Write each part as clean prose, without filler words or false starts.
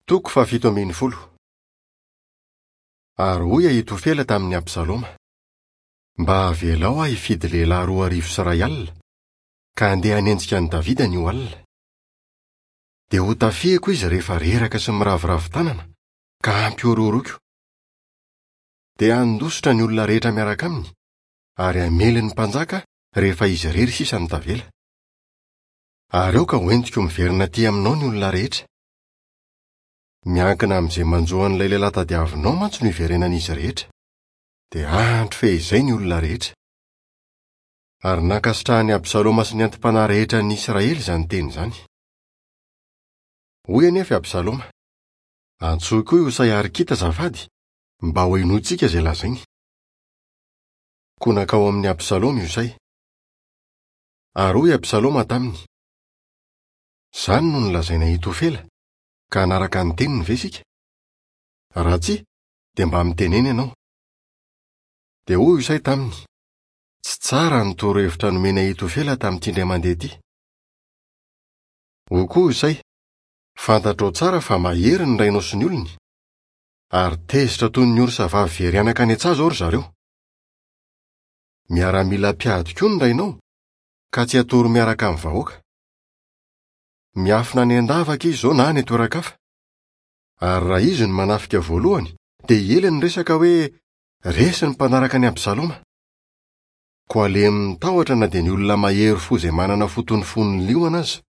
Toko fahafito ambin'ny folo. Ary hoy Ahitofela tamin'i Absaloma, Mba avelao aho hifidy lehilahy 2100, ka handeha hanenjika an'i Davida anio alina. Dia hotafihiko izy rehefa reraka sy miraviravy tanana, ka hampihorohoroiko. Dia handositra ny olona rehetra miaraka aminy, ary hamely ny mpanjaka rehefa izy irery sisa no tavela. Ary aoka hoentiko miverina aty aminao ny olona rehetra. Miankina amin'izay manjo an'ilay lehilahy tadiavinao mantsy no hiverenan'izy rehetra. Dia hahandry fehizay ny olona rehetra. Ary nankasitrahan'i Absaloma sy ny anti-panahy rehetra an'ny Israely izany teny izany. Hoy anefa i Absaloma, Antsoy koa i Hosay Arkita azafady, mba hohenointsika izay lazainy. Koa nankao amin'i Absaloma i Hosay. Ary hoy Absaloma taminy, Izany no nolazain'i Ahitofela, ka hanaraka ny teniny ve isika? Raha tsia, dia mba mitenena ianao. Dia hoy Hosay taminy, Tsy tsara ny torohevitra nomen'i Ahitofela tamin'ity indray mandeha ity. Hoy koa Hosay, Fantatrao tsara fa mahery ny rainao sy ny olony, ary tezitra toy ny orsa vavy very anaka any an-tsaha izao ry zareo. Miaramila mpiady koa ny rainao, ka tsy atoro miaraka amin'ny vahoaka. Miafina any an-davaka izy izao na any an-toeran-kafa. Ary raha izy no manafika voalohany, dia hiely ny resaka hoe resy ny mpanaraka an'i Absaloma. Koa alemin'ny tahotra na dia ny olona mahery fo izay manana fo toy ny fon'ny liona aza.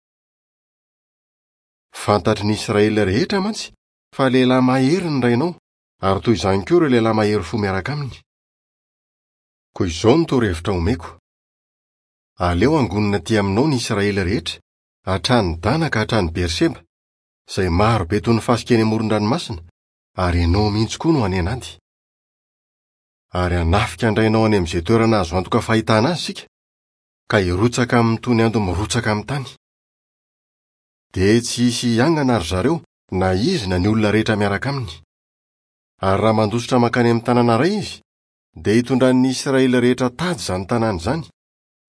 Fantatry ny Israely rehetra mantsy fa lehilahy mahery ny rainao, ary toy izany koa ireo lehilahy mahery fo miaraka aminy. Koa izao no torohevitra omeko, Aleo hangonina aty aminao ny Israely rehetra, hatrany Dana ka hatrany Berseba, izay maro be toy ny fasika eny amoron-dranomasina, ary ianao mihitsy koa no any an'ady. Ary hanafika an-drainao any amin'izay toerana azo antoka fahitana azy isika, ka hirotsaka aminy toy ny ando mirotsaka amin'ny tany. Dia tsy hisy hiangana ry zareo, na izy na ny olona rehetra miaraka aminy. Ary raha mandositra mankany amin'ny tanàna iray izy, dia hitondran'ny Israely rehetra tady izany tanàna izany,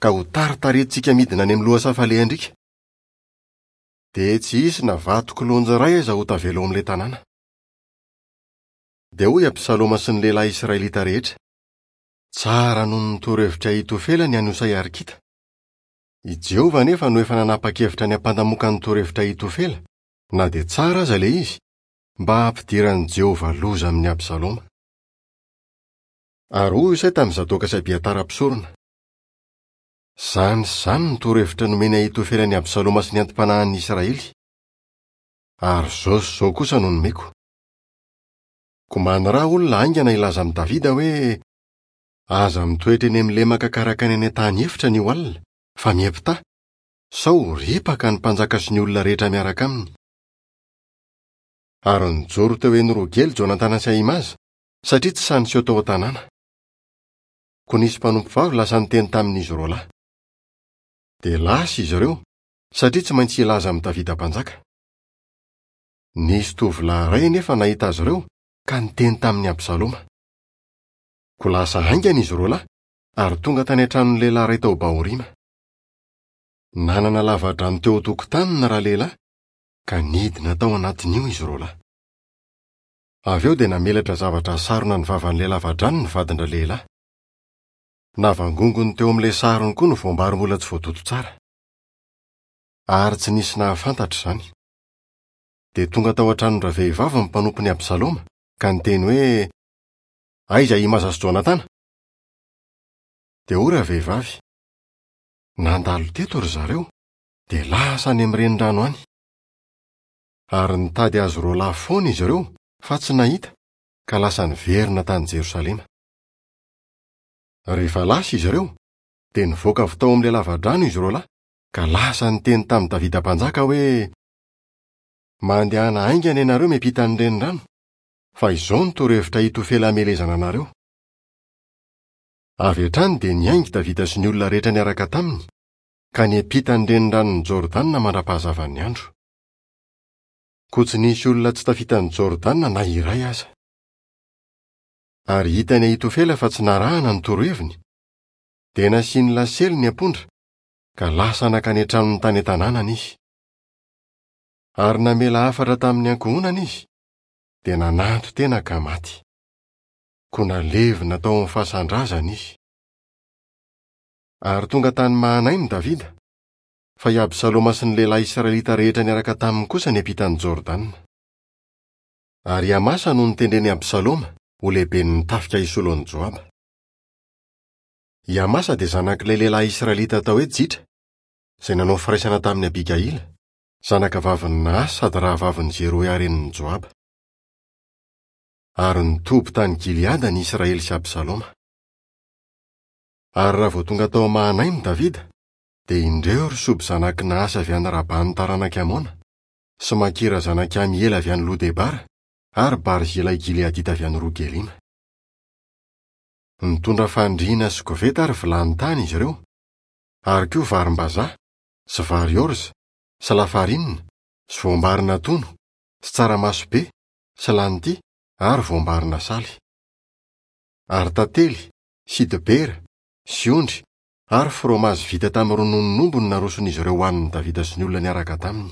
ka ho taritaritintsika midina any amin'ny lohasaha falehan-driaka. Dia tsy hisy na vato kilonjy iray aza ho tavela ao amin'ilay tanàna. Dia hoy Absaloma sy ny lehilahy israelita rehetra, Tsara noho ny torohevitr'i Ahitofela ny an'i Hosay Arkita. I Jehovah anefa no efa nanapa-kevitra ny hampandamoka ny torohevitr'i Ahitofela, na dia tsara aza ilay izy, mba hampidiran'i Jehovah loza amin'i Absaloma. Ary hoy Hosay tamin'i Zadoka sy Abiatara mpisorona, Izany sy izany no torohevitra nomen'i Ahitofela an'i Absaloma sy ny anti-panahin'ny Israely. Ary izao sy izao kosa no nomeko. Koa maniraha olona haingana hilaza amin'i Davida hoe, Aza mitoetra eny amin'ny lemaka karakaina eny an-tany efitra anio alina, fa miampità, sao ho ripaka ny mpanjaka sy ny olona rehetra miaraka aminy. Ary nijoro teo Eny-rogely Jonatana sy Ahimaza, satria tsy sahy niseho tao an-tanàna. Koa nisy mpanompovavy lasa niteny tamin'izy roalahy. Dia lasa izy ireo, satria tsy maintsy hilaza amin'i Davida mpanjaka. Nisy tovolahy iray anefa nahita azy ireo ka niteny tamin'i Absaloma. Koa lasa haingana izy roalahy ary tonga tany an-tranon'ny lehilahy iray tao Bahorima. Nanana lavadrano teo an-tokotaniny ralehilahy ka nidina tao anatin'io izy roalahy. Avy eo dia namelatra zavatra sarona ny vavan'ilay lavadrano ny vadin-dralehilahy. Navangongony teo amin'ilay sarony koa ny voambary mbola tsy voatoto tsara. Ary tsy nisy nahafantatra izany. Dia tonga tao an-tranon-dravehivavy ny mpanompon'i Absaloma ka niteny hoe, Aiza Ahimaza sy Jonatana? Dia hoy ravehivavy, Nandalo teto ry zareo, dia lasa any amin'ny renirano any. Ary nitady azy roalahy foana izy ireo, fa tsy nahita, ka lasa niverina tany Jerosalema. Rehefa lasa izy ireo, dia nivoaka avy tao amin'ilay lavadrano izy roalahy, ka lasa niteny tamin'i Davida mpanjaka hoe, Mandehana haingana ianareo miampita ny renirano, fa izao no torohevitra hitofela hamelezana anareo. Avy hatrany dia niainga i Davida sy ny olona rehetra niaraka taminy, ka niampita ny reniranon'i Jordana mandra-pahazavan'ny andro. Koa tsy nisy olona tsy tafita an'i Jordana na iray aza. Ary hitan'i Ahitofela fa tsy narahana ny toroheviny, dia nasiany lasely ny ampondra, ka lasa nankany an-tranony tany an-tanànany izy. Ary namela hafatra tamin'ny ankohonany izy, dia nananton-tena ka maty. Koa nalevina tao amin'ny fasan-drazany izy. Ary tonga tany Mahanaima Davida, fa i Absaloma sy ny lehilahy israelita rehetra niaraka taminy kosa niampita an'i Jordana. Ary i Amasa no notendren'i Absaloma ho lehiben'ny tafika hisolo an'i Joaba. I Amasa dia zanak'ilay lehilahy israelita atao hoe Jitra, izay nanao firaisana tamin'i Abigaila, zanakavavin'i Nahasy sady rahavavin'i Zeroia renin'i Joaba. Ary nitoby tany Gileada ny Israely sy Absaloma. Ary raha vao tonga tao Mahanaima Davida, dia indreo ry Soby zanak'i Nahasy avy any Raban'ny taranak'i Amona, sy Makira zanak'i Amiela avy any Lodebara, ary Barzilay Gileadita avy any Rogelima. Nitondra fandriana sy koveta ary vilany tany izy ireo, ary koa varim-bazaha, sy vary orza, sy lafarinina, sy voambary natono, sy tsaramaso be, sy lanty, ary voambary nasaly. Ary tantely, sy dibera, sy ondry, ary fromazy vita tamin'ny rononon'omby no naroson'izy ireo hohanin'i Davida sy ny olona niaraka taminy.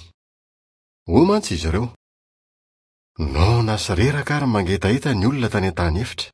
Hoy mantsy izy ireo, Noana sy reraka ary mangetaheta ny olona tany an-tany efitra.